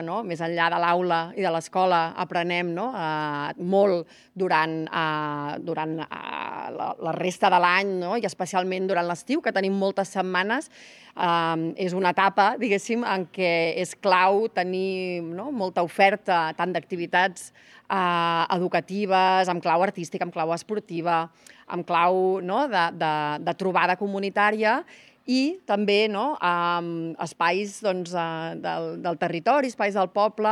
no? Més enllà de l'aula i de l'escola aprenem, no? Molt durant la resta de l'any, no? I especialment durant l'estiu, que tenim moltes setmanes. És una etapa, diguéssim, en què és clau tenir, no? Molta oferta, tant d'activitats educatives, amb clau artística, amb clau esportiva, amb clau, no? de trobada comunitària, i també, no? Espais, doncs, del territori, espais del poble,